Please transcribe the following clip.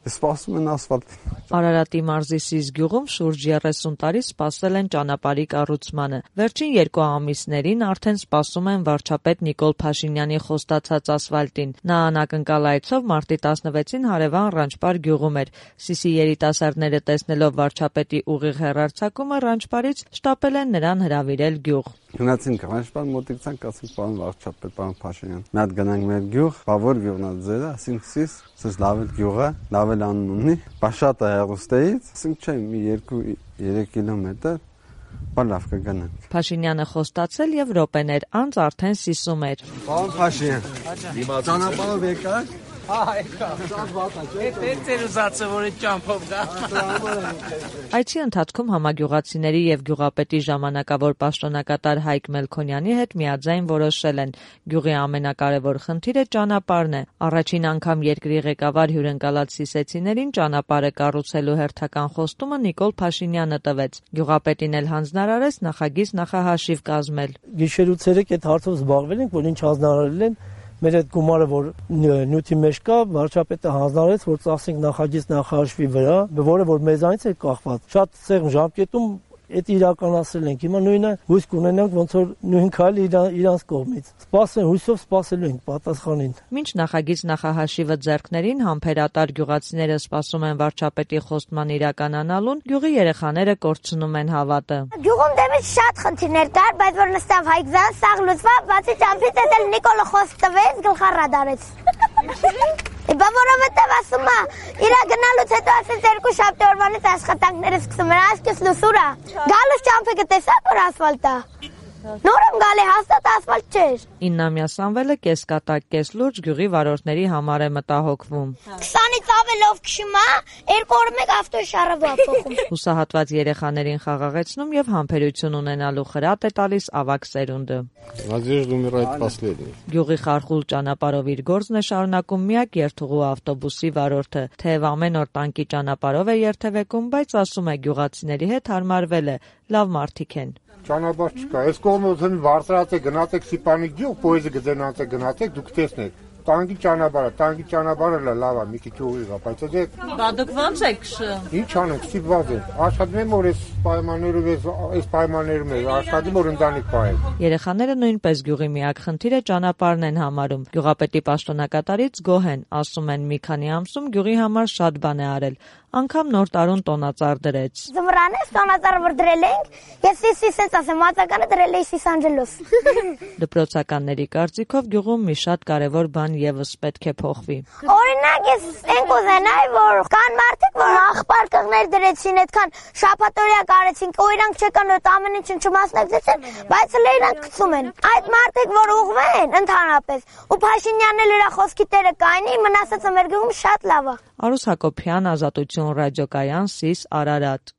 Սպասում են ասֆալտին։ Արարատի մարզի Սիս գյուղում շուրջ 30 տարի սպասել են ճանապարհի կառուցմանը։ Վերջին 2 ամիսներին արդեն սպասում են վարչապետ Նիկոլ Փաշինյանի խոստացած ասֆալտին։ Նա անակնկալ այցով մարտի 16-ին հարևան Ռանչպար գյուղում էր։ Սիսի երիտասարդները տեսնելով վարչապետի ուղիղ հեռարձակումը Ռանչպարից շտապել են նրան հրավիրել գյուղ։ Գնացինք Ռանչպար, մոտիկ ցանկ ասենք պարոն վարչապետ, պարոն Փաշինյան։ Մի հատ գնանք մեր գյուղ, բավոր գյուղն է ձերը, ասենք Սիս, սենց լավ գյուղ է, լավ անուն ունի, շատ է հեռուստեից, ասենք չէ, մի 2-3 կիլոմետր, բան լավ կգնանք։ Փաշինյանը խոստացել եւ րոպեներ անց արդեն Սիսում էր։ Պարոն Փաշինյան, ճանապարհով եկաք։ Այցի ընթացքում համագյուղացիների եւ գյուղապետի ժամանակավոր պաշտոնակատար Հայկ Մելքոնյանի հետ միաձայն որոշել են գյուղի ամենակարևոր խնդիրը ճանապարհն է։ Առաջին անգամ երկրի ղեկավար հյուրընկալած սիսեցիներին ճանապարհը կառուցելու հերթական խոստումը Նիկոլ Փաշինյանը տվեց։ Գյուղապետին էլ հանձնարարեց նախագիծ նախահաշիվ կազմել։ Գիշերուց 3 այդ հարցով զբաղվել ենք, որ ինչ հանձնարարել են։ Մեր այդ գումարը, որ նյութի մեջ կա, վարչապետը հանձնարարեց, որ ծախսենք նախագիծ նախահաշվի վրա, որը որ մեզանից է կախված։ Շատ սեղմ ժամկետում այդ իրականացրել ենք։ Հիմա նույնը հույս կունենանք, ոնց որ նույն քայլը իրանց կողմից։ Սպասեն, հույսով սպասելու ենք պատասխանին։ Մինչ նախագիծ նախահաշիվը ձեռքներին համբերատար գյուղացիները սպասում են վարչապետի խոստման իրականանալուն, գյուղի երեխաները կորցնում են հավատը։ Գյուղում դեմից շատ խնդիրներ կար, բայց որ նստավ Հայկզան, սաղ լուծվավ, բացի ճամփից էլ Նիկոլը խոսք տվեց, գլխառադարեց։ Բա որովհետև ասում է, իրա գնալուց հետո ասեց 2 շաբթի օրվանից աշխատանքները սկսում են, այսպես լուսուր է։ Գալուց ճամփը գտեսա, որ ասֆալտ է։ Նոր եմ գալի, հաստատ ասֆալտ չէր։ 9-ամյա Սամվելը կեսկատակ կես լուրջ գյուղի վարորդների համար է մտահոգվում։ 20-ից ավելով քշում է, 2 օր մեկ ավտոյի շարավա փոխում։ Հուսահատված երեխաներին խաղաղեցնում եւ համբերություն ունենալու խրատ է տալիս ավագ սերունդը։ Գյուղի խարխուլ ճանապարհով իր գործն է շարունակում միակ երթուղու ավտոբուսի վարորդը։ Թեև ամեն օր տանկի ճանապարհով է երթևեկում, բայց ասում է գյուղացիների հետ հարմարվել է, լավ մարդիկ են։ Ճանապարհ չկա, այս կողմով բարձրացեք, գնացեք Սիպանի գյուղ, պոեզը գնացեք, դուք տեսնեք։ Տանկի ճանապարհը լավ է, մի քիչ ուղիղ է, բայց Բա դուք ո՞նց եք քշում։ Ինչ անենք, ստիպված ենք։ Աշխատում եմ, որ այս պայմաններում աշխատում որ ընտանիք պահեմ։ Երեխաները նույնպես գյուղի միակ խնդիրը ճանապարհն են համարում։ Գյուղապետի պաշտոնակատարից գոհ են, ասում են մի քանի ամսում գյուղի համար շատ բան է արել։ Անգամ նոր տարուն տոնածառ դրեց։ Զմրանես տոնածառը որ դրել ենք, ես սենց ասեմ, մատականը դրել էի Սիս Անջելոս։ Դպրոցականների կարծիքով գյուղում մի շատ կարևոր բան եւս պետք է փոխվի։ Օրինակ ես այն կուզենայի, որ կան մարդիկ, որ աղբար կղներ դրեցին, այդքան շաբաթօրյա կարեցին, ու իրանք չեկան այդ ամեն ինչը չմասնակցեցին, բայց հենց իրանք գցում են։ Այդ մարդիկ, որ ուղղվեն ընդհանրապես, ու Փաշինյանն էլ իր խոսքի տերը կայնի, մնացածը մեր գյուղում շատ լավ է։ Արուս Հակոբյան, Ազատություն ռադիոկայան, Սիս, Արարատ։